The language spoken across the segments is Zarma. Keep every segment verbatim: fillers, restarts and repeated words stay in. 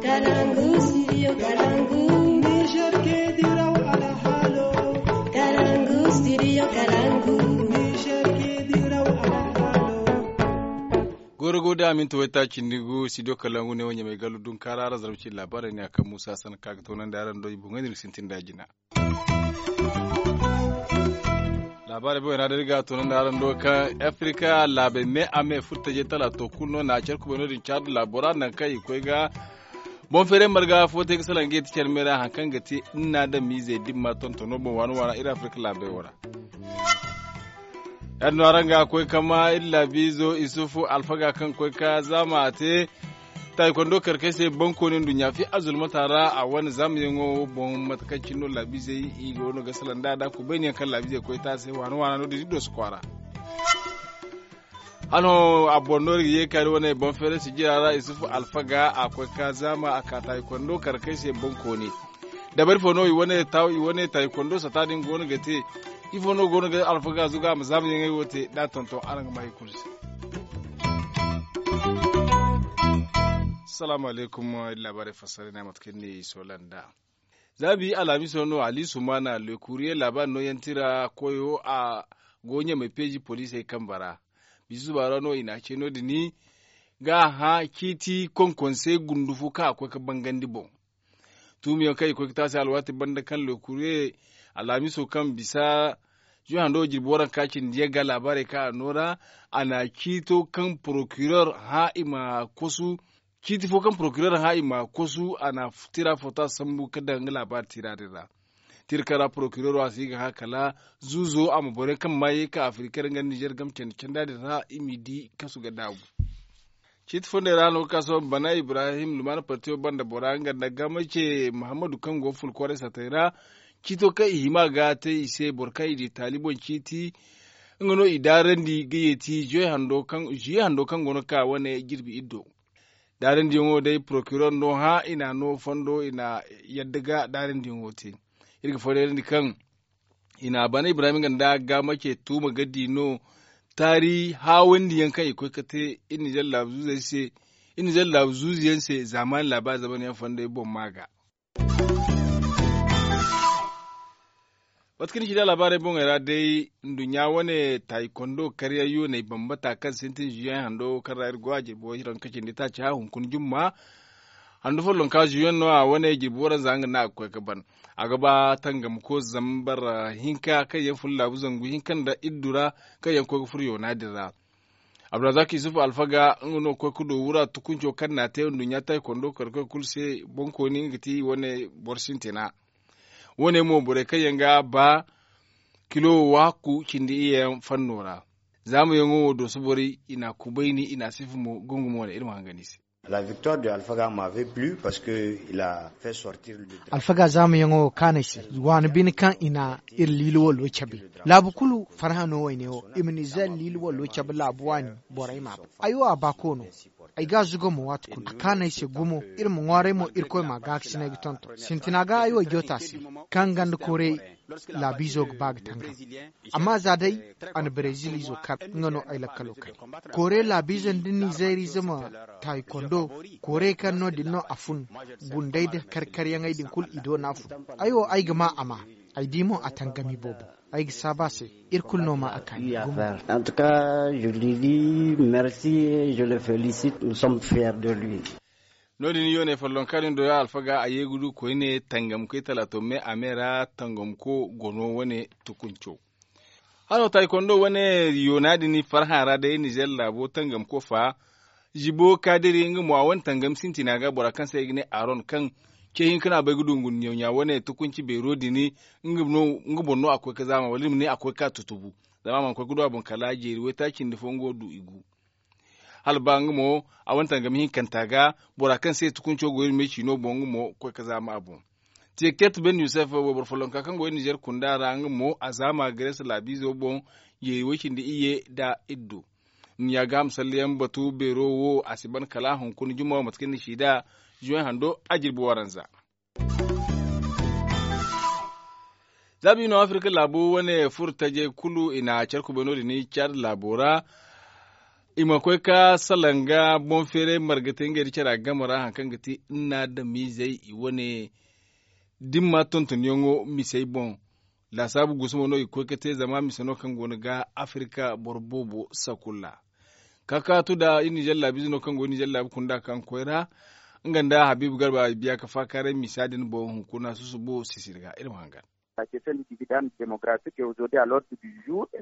Kalangu studio kalangu. Niger ke diraw alhalo. Kalangu studio kalangu. Niger ke diraw alhalo. Goro go da aminta wayta cindi gu studio kalangu ne wanya mai galu dun kara ra zarbi ci labarai ne akan musa san kaga tonan da yaran do ibu ngani sintin da jina. Labaari boy na da iri ga a tuna nda araŋ do kaŋ afrika laabey me a me furtaje tala to kulu no na care kubay no- din caadu laabo ra naŋ kaŋ i koy ga boŋ feeray marga fo te ga salaŋ ga yeti care me ra hari kaŋ ga te nna da miizey dimma tontono boŋ waana waana iri afrika laabey wo ra. Ya- din no araŋ ga a koy kama iri laabiizo isufu alfaga kaŋ koy ka zaama a te taaykondo kar kay se bankooni nduɲɲa fi azulmata ra a wane zaamayaŋo boŋ mate kaŋ cine no laabiizey i go no ga salaŋ da da kubayniyaŋ kaŋ laabiizey koy taasay waana waana no- din i dooso kwaara. Hano a boŋ no iri ga ye kaari wane boŋ feeray sijira ra isufu alfaga a koy ka zaama a ka taaykondo kar kay se bankooni dabari fo no i wane taaykondo sata din go no ga te. Ifo no go no ga alfaga zuga a ma zaamayaŋey wo te da a tonton araŋ ga ma i kulu se. Salaamu alaykum. Iri laabaarey fassara ne mate kaŋ ni soola nda zaabi alhamiso no ali sumana le kuuriye laabaari no yaŋ tira koyo a go ɲamay peeji poliisey kambe ra. Bisu suba ra no i na a ce no- din ga a hã ciiti konkonse gundu fo kaŋ a koy ga bangandi boŋ. Tuumiyaŋ kaŋ i koy ga te a se alwaati banda kaŋ le kuuriye alhamiso kaŋ bisa juhando jirbi waranka cindi yaŋ ga laabaarey kaŋ a no ra a na ciito kaŋ porokiror hã i ma kosu ciiti fo kaŋ porokiror hã i ma kosu a na tira fota sambu ga daŋ nga laabaari tira din ra. Tira kaŋ ra porokiror a si ga hã kala zuuzo a ma boro yaŋ kaŋ ma ye ka afirikar nga nizer game candi canda din ra i m'i di kasu ga daabu. Ciiti fondey ra no ga ka sohõ bana ibrahim lumana partiyo banda bora nga nda gama ce muhammadu kaŋ go ful kwaray satey ra. Ciito kaŋ i hima ga te i se boro kaŋ i di taali boŋ ciiti nga no i daarandi ga yeeti zuye hando kaŋ go no ga ka wane jirbi iddo. Daarandiyaŋo day porokiror no hã i na a no fondo i na yadda ga daarandiyaŋo te. Iri ga foodayrandi kaŋ i na a bana ibrahim nga nda gaama ce tuuma ga di no taari haawandiyaŋ kaŋ i koy ga te iri nizer laabu zuuzu yaŋ se zaamaani laabaari zamanyaŋ fondey boŋ ma ga. Mate kaŋ ni ci da laabaarey boŋey ra day nduɲɲa wane taaykondo karyaŋ yooney bambata kaŋ sintin zuyaŋ hando kaŋ ra iri go a jirbi waranka cindi taaci hã hunkuna jumma handu follonka zuyaŋ no a wane jirbi waranza nga no a ga koy ga ban. A ga ba tangamko zambar hinka kaŋ yaŋ fun laabu zangu hinka nda iddu ra kaŋ yaŋ koy ga furo yoona din ra. Abdulrazak yusuf alfaga nga no ga koy ga du wura tukunco kaŋ na a te nduɲɲa taaykondo kar koy kulu se boŋkooni nga ga ti wane boro sintina. Wo- ne mo borey kaŋ yaŋ ga ba kilo waakku cindi iyye yaŋ fanno ra. Zaamayaŋo wo dooso borey i na a kubayni i na a sifa mo gungu mo wane iri ma hangan i se. La victoire de alfaga m'avait plus parce que il a fait sortir le drapeau. Alfaga zaamayaŋo wo kaanu ay se waani bine kaŋ i na iri liili wallo cabe. Laabu kulu farhã no wayne wo i ma nizer liili wallo cabe laabu waani borey m'a bay. Ay wo a baako no. Ay ga a zuga mo waati kulu a kaanu ay se gumo. Iri ma ŋwaaray mo irkoy m'a gaakasinay ga tonton sintina ga ay wo ay joota se kaŋ ganda koorey laabiizo ga ba ga tangam. Amma za day a na brezil izo kar nga no ay lakkalo kay. Koorey laabiizo nda nizeeriize ma taaykondo koorey kaŋ no- din no a fun. Gunday nda karkaryaŋey din kulu i do no a fun. Ay wo ay ga ma a ma ay di mo a tangami boobo. Ay ga saabu a se. Iri kulu no ma a kaani gumo. En tout cas je lui dis merci et je le félicite nous sommes fiers de lui. No- din yooney follonka din do ya alfaga a ye ga du koyne tangamkoy talaato me a me ra tangamko gono wane tukunco. Hano taaykondo wane yoona din farhã ra day nizer laabo tangamko fa. Zibo kaadiri nga mo a wane tangam sintina ga bora kaŋ se ay ga ne aaron kaŋ ce hinka no a bay ga du ngunniyaŋ ɲa wane tukunci beero din. Nga boŋ no a koy ga zaama wala iri ma ne a koy ga ka tutubu. Zama a mana koy ga du a boŋ kala jeeri waytaaci nda fo nga wo du i gu. Hala ba nga mo a wane tangam hinkanta ga bora kaŋ se tukunco go iri me ciino boŋ nga mo koy ga zaama a boŋ. Tiyaket ben yusuf wayboro follonka kaŋ go iri nizer kunda ra nga mo a zaama gares laabiizo boŋ. Jeeri way cindi iyye nda iddu. Ni ya ga a ma salleyaŋ batu beero wo a si ban kala hunkuna juma wo mate kaŋ ni si da zuway hando a jirbi waranza. Za ba i no afirka laabo wane furo tajey kulu i na care kubay no- din caada laabo ra. I ma koy ka salaŋ ga boŋ feeray marga te ngey nda cara game ra hari kaŋ ga ti nna adamizey i wane dimma tontoniyaŋo misey boŋ. Laasaabu gusumo no i ga koy ga te zama mise no kaŋ go no ga afirika boro boobo sakulla. Ka kaatu nda iri nizer laabiize no kaŋ go iri nizer laabu kunda kaŋ koy ra nga nda habiibu garba i biya ga faakaaray misa din boŋ hunkuna susubo sisiri ga iri ma hangan.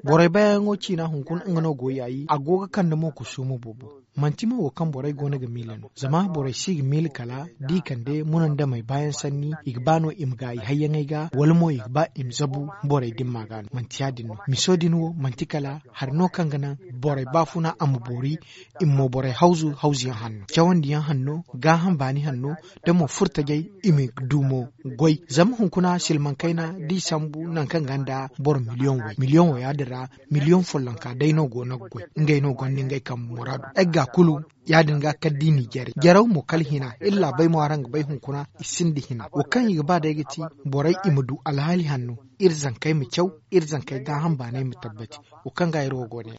Borey baayaŋo ciina hunkuna nga no go yaayi a go ga kande mo kusuuma boobo. Manti mo wo kaŋ borey go no ga miila no zama borey si ga miila kala da i kande munandamey baayaŋ sanni i ga ba no i ma gaayi hayyaŋey ga wala mo i ga ba i ma zabu borey dimma ga no manti ya- din no miso din wo manti kala hari no kaŋ ga naŋ borey baafuna a ma boori. I ma mo borey hawzu hawzuyaŋ hanno cawandiyaŋ hanno gaaham baani hanno da mo furtajey i ma du mo goy zama hunkuna silmaŋ kayna da i sambu nangu kaŋ gonda boro miliyoŋ way miliyoŋ way ya- din ra miliyoŋ follonka day no go no ga goy. Ngey no gonda ngey kambe muraadu ay ga ga kulu ya- din ga kala da i n'i jare jaraw mo kala hina iri laabey mo araŋ ga bay hunkuna i sinda hina wo kaŋ i ga ba day ga ti borey i ma du alhaali hanno iri zankey ma caw iri zankey gaaham baanay ma tabbati. Wo kaŋ ga iri wo go ne ya-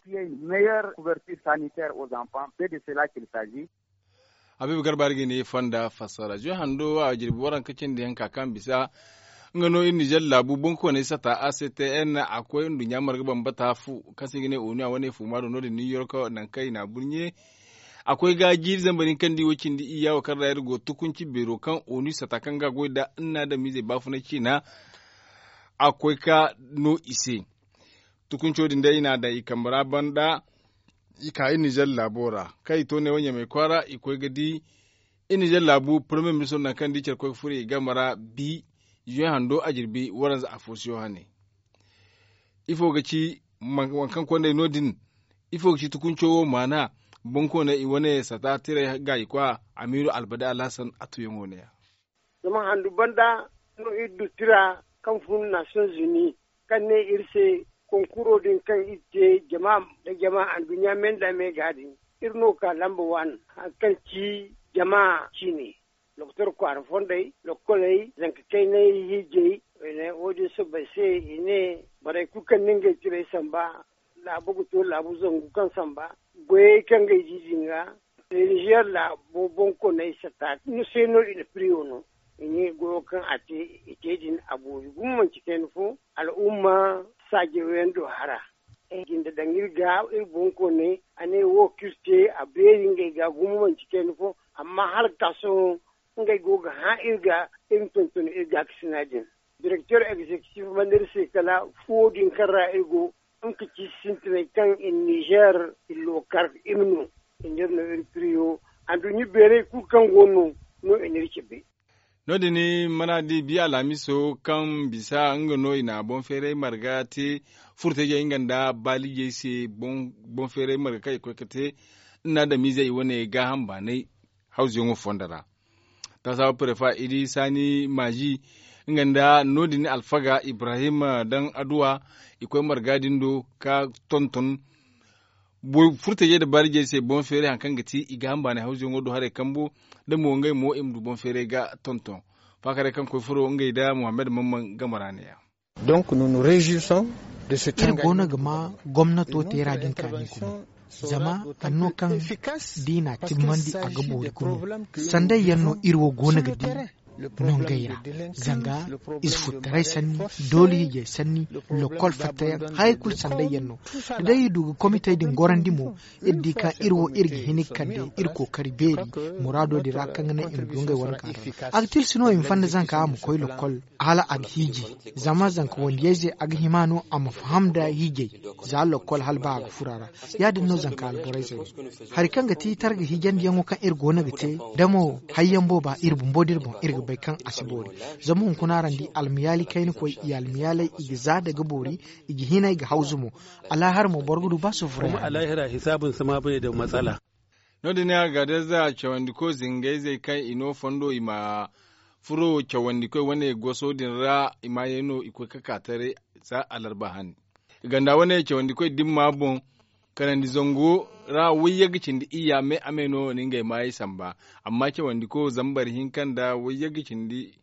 Habiibu garba iri ga ni fonda fassara zuy hando a jirbi waranka cindi yaŋ ka kaŋ bisa nga no iri nizer laabu boŋkooney sata a c t n a koy nduɲɲa marga bambata fu kaŋ se i ga ne onu a wane fu ma do no- din new york nangu kaŋ i na a burɲe. A koy ga jiiri zambar hinka nda i wo cindi iyya wo kaŋ ra iri go tukunci beero kaŋ onu sata kaŋ ga a goy nda nna adamizey baafunay ciina. A koy ka no i se tukunco din day i na a daŋ i kambe ra banda. I ka iri nizer laabo ra kaŋ i to neewo ɲamey kwaara i koy ga di iri nizer laabu parmiye ministro nangu kaŋ da i care koy ga furo i game ra bi zuwe hando a jirbi waranza afo se wo hane. Ifo ga ci waŋ kaŋ kondey no- din? Ifo ga ci tukunco wo maana boŋkooney i wane sata tiray gaayikwa amiiru albade alhasan a tuyaŋo ne- ya. Zama handu banda no iri du tira kaŋ fun nations unis kaŋ ne iri se konkuro din kaŋ iri te jama nda jama anduɲɲa me nda me ga din iri no ga ka lamba waani hari kaŋ ci jama ciine. Doktor kwaara fondey lokkoley zanka kaynay hiijay. Wo- din soobay se i ne borey kulu kaŋ na ngey tirey samba laabu ga to laabu zangu kaŋ samba goyey kaŋ ga ay di din ga. Nizer laabo boŋkooney sata ni se no i na piriyo no i ne goyo kaŋ a te i te din a boori gumo manci kayna fo. Al'umma saajayaŋ do hara ay jinde daŋ iri ga iri boŋkooney a ne wo kaŋ iri te a beeri ngey ga gumo manci kayna fo. Amma hala ga ka sohõ ngey go ga hã iri ga iri ma tonton iri gaakasina din. Direkter egzekitif mana iri se kala fuwo din kaŋ ra iri go nga ka ci sintinay kaŋ i na nizer i lookar i ma no i n'iri no iri piriyo. Anduɲɲa beeray kulu kaŋ go no no i n'iri cabe. No- din mana di bi alhamiso kaŋ bisa nga no i na boŋ feeray marga te furtajey nga nda baalijey se boŋ feeray marga kaŋ i koy ga te nda adamizey i wane gaaham baanay hawzuyaŋo fondo ra. Taasaabu prefa idi saani maazi nga nda no- din alfaga ibrahim daŋ adduwa i koy marga din do ka tonton furtajey nda baalijey se boŋ feeray hari kaŋ ga ti i gaaham baanay hawzuyaŋo do haray kambo da mo ngey mo i ma du boŋ feeray ga tonton. Faakaray kaŋ koy furo ngey nda muhammad mamman game ra ne- ya. Iri go no ga ma gomnato teera din kaani gumo zama hari no kaŋ da i n'a timmandi a ga boori gumo. Sanday yaŋ no iri wo go no ga di no ngey ra zanga ize futtaray sanni doole hiijay sanni lokkol fattayaŋ hayey kulu sanday yaŋ no. Da day iri du ga komitey din gorandi mo iri di kaŋ iri wo iri ga hin ga kande iri kookari beeri muraado din ra kaŋ ga naŋ i ma du ngey wane kaarara. A ga tilas no i ma fanda zanka a ma koy lokkol hala a ga hiiji zama zanka wandiyayze a ga hima no a ma faham nda hiijay za lokkol hala ba a ga furo a ra. Ya- din no zanka alborayzey wo hari kaŋ ga ti targa hiijandiyaŋo kaŋ iri go no ga te da mo hayyaŋ booba iri bumbo da iri boŋ iri ga bay kaŋ a si boori. Zama hunkuna araŋ di almayaali kayna koy i almayaaley i ga za da ga boori i ga hinay ga hawzu mo. Alaahara mo boro ga du ba sufura. No- din ne a ga da za cawandiko zingayzey kaŋ i no fondo i ma furo cawandikoy wane goso din ra i maayey no i koy ga ka taray za alarba hani. Ganda wane cawandikoy dimma boŋ kanandi zango ra wayye ga cindi iyya me a me no ni ngey maayey samba. Amma cawandiko zambar hinka nda wayye ga cindi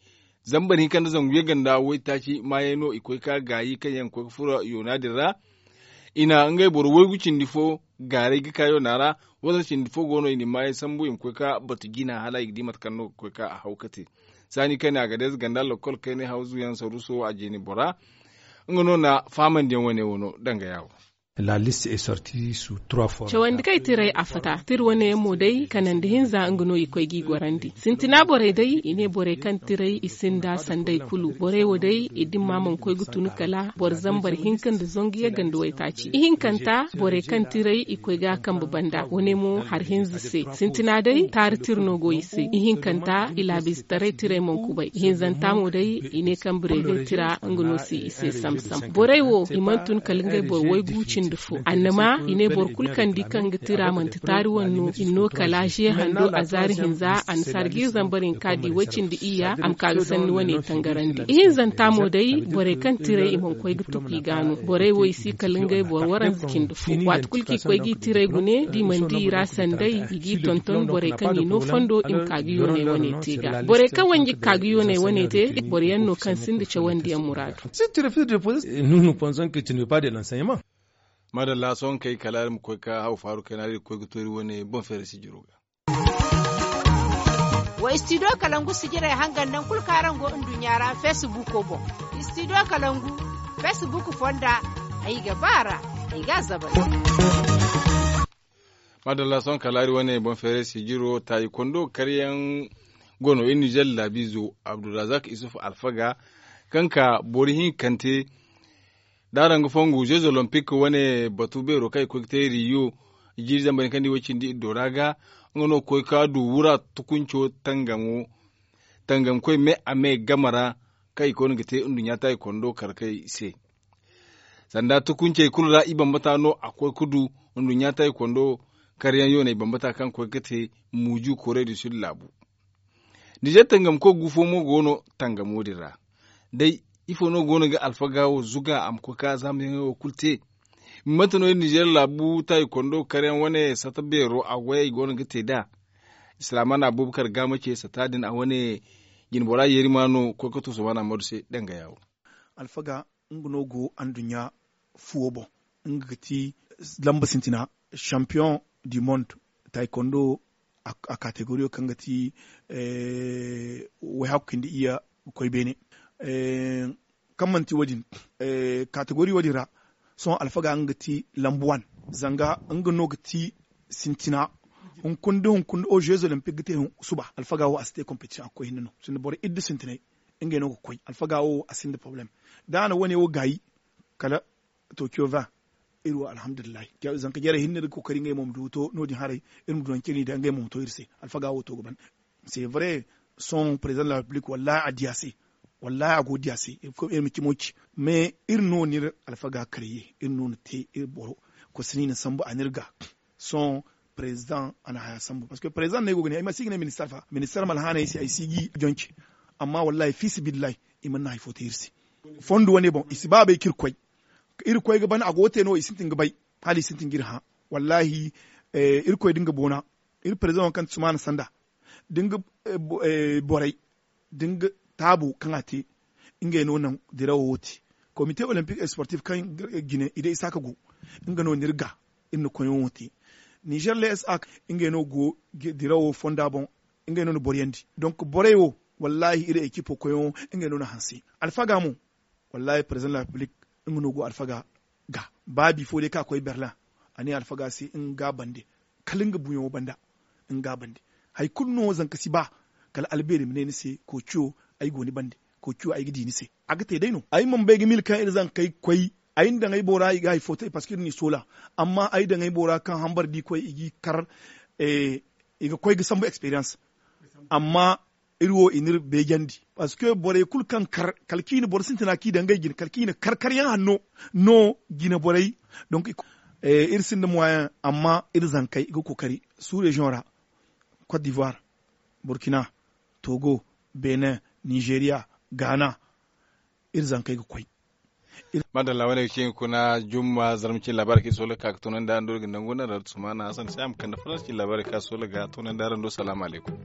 zambar hinka nda zangu ye ganda waytaaci maayey no i koy ga ka gaayi kaŋ yaŋ ga koy ga furo yoona din ra. I na ngey boro waygu cindi fo gaaray ga ka yoona ra. Wala cindi fo go no i na i maayey sambu i ma koy ka batu jina hala i ga di mate kaŋ no ga koy ka a haw ka te. Saani kaŋ ne a ga deeze ganda lokkol kaynay hawzu yaŋ saruuso a jeeni bora. Nga no na fahamandi yaŋ wane wo no danga yaawo. Cawandi kaŋ ay tiray a fata tira wane yaŋ mo day kanandi hinza nga no i koy ga i gorandi sintina borey day i ne borey kaŋ tiray i sinda sanday kulu borey wo day i dimma mana koy ga tun kala boro zambar hinka nda zangu yagga nda waytaaci ihinkanta borey kaŋ tiray i koy ga a kambe banda wane mo hari hinza se sintina day taari tira no go i se ihinkanta i laabiizetaray tiray mana kubay ihinzanta mo day i ne kaŋ bireegay tira nga no si i se sam-sam borey wo i mana tun kala ngey boro waygu cindi fo annama i ne boro kulu kaŋ di kaŋ ga tira manti taari wane no i na no kala ze hando a zaari hinza a na sarga iri zambar hinka di way cindi iyya a ma ka ga sanni wane tangarandi ihinzanta mo day borey kaŋ tiray i mana koy ga tuku i ga no borey wo i si kala ngey boro waranza cindi fo waati kulu kaŋ i koy ga i tiray gune da i mana di i ra sanday i g'i tonton borey kaŋ i no fondo i ma ka ga yoonay wane te ga borey kaŋ wanji ga ka ga yoonay wane te boro yaŋ no kaŋ sinda cawandiyaŋ muraadu. Madalla sohõ kay kala iri ma koy ka haw faaru kayna iri ga koy ga toori wane boŋ feere sijiro ga. Wa istidiyo kalangu sijirey hangan naŋ kulu kaŋ araŋ go nduɲɲa ra feesibuuko boŋ. Istidiyo kalangu feesibuuku fonda ay ga ba a ra ay ga a zabay. Madalla sohõ kala iri wane boŋ feere sijiro taayi kondo karyaŋ go no iri nizer laabiizo abdulrazak isuf alfaga kaŋ ka boro hinkante da araŋ ga fongu zeez olompik wane batu beero kaŋ i koy ga te riyo jiiri zambar hinka nda i way cindi iddo ra ga nga no ga koy ka du wura tukunco tangamo tangamkoy me a me game ra kaŋ i koy no ga te nduɲɲa taaykondo karkey se sanda tukuncey kulu ra i bambata no a koy ga du nduɲɲa taaykondo karyaŋ yoonay bambata kaŋ koy ga te muuju koreya du sid laabu nizer tangamko gu fo mo go no tangamo din ra day ifo no go no ga alfaga wo zuga a ma koy ka zaamayaŋey wo kulu te mate no iri nizer laabu taaykondo karyaŋ wane sata beero a goyey go no ga te nd'a islaamaana abubakar ga ma ce sata din a wane jinbora yeeri ma no koy ka to sohõ a na mooru se danga yaawo. Alfaga nga no go anduɲɲa fuwo boŋ nga ga ti lamba sintina champion du monde taaykondo a kategoriyo kaŋ ga ti wayhakku cindi iyya ga koy beene kaŋ manti wo- din kategori wo- din ra sohõ alfaga nga ga ti lambu wan zanga nga no ga ti sintina hunkuna da hunkuna o zeez olimpik ga te suba alfaga wo a si te kompetisiyoŋ a ga koy hinne no sinda boro iddu sintinay ngey no ga koy alfaga wo a sinda porobalem da a na wane wo gaayi kala tokiyo vingt iri wo alhamdulillahi zanka jarey hinne iri ga kookari ngey mo ma du to no- din haray iri ma du nangu cine i da ngey mo ma to iri se alfaga wo to ga ban c'est vrai sohõ président de la république wallahi a di a se wallahi a go ga di a se iri ma cimo ci mais iri no no iri alfaga karye iri no no te iri boro koy si no i na sambu a no iri ga sohõ président a na haya sambu parce que président no ay go ga ne ay ma si ga ne ministar fa ministar ma alhaanay se ay si ga i jonci amma wallahi fiisabilillahi i mana naŋ hari fo te iri se fondo wane boŋ i si ba bay kaŋ iri koy iri koy ga ban a go ga te no i sintin ga bay hala i sintin ga iri hã wallahi irkoy da nga boona iri président wo kaŋ ti sumaana sanda da nga borey da nga taabo kaŋ a te ngey no naŋ dirawo wo te komite olympique et sportif kaŋ jine i day isaaka go nga no no iri ga iri na koyyaŋo te nizer lsa ngey no go dirawo fonda boŋ ngey no na boryandi donc borey wo wallahi iri ekipo koyyaŋo ngey no na hanse alfaga mo wallahi président de la république nga no go alfaga ga ba bifo day kaŋ a koy berlin a ne alfaga se nga ga bande kala nga buuyaŋo banda nga ga bande hari kulu no zanka si ba kala albeeri ma ne ni se koociyo ay go ni bande koociyo ay ga di ni se a ga te day no ay mana bay ga mil kaŋ iri zankey koy ay na daŋ ay boora i ga hari fo te parce que iri n'i soola amma ay daŋ ay boora kaŋ hambar da i koy i g'i kar i ga koy ga sambu experience amma iri wo i n'iri beejandi parce que borey kulu kaŋ kar kala kaŋ i na boro sintina kaŋ i daŋ ngey jine kala kaŋ i na kar karyaŋ hanno no jine borey donc iri sinda moyen amma iri zankey i ga kookari sous région ra cote d'ivoire burkina togo benin nigeria ghana iri zankey ga koy madalla wane ga ci hunkuna jumma zarma cine laabaari kaŋ i soola ga ka ga toonandi araŋ do iri ga nangu naŋ ra sumaana hasan se a ma kande faransa cine laabaari kaŋ a soola ga toonandi araŋ do salaamu alaykum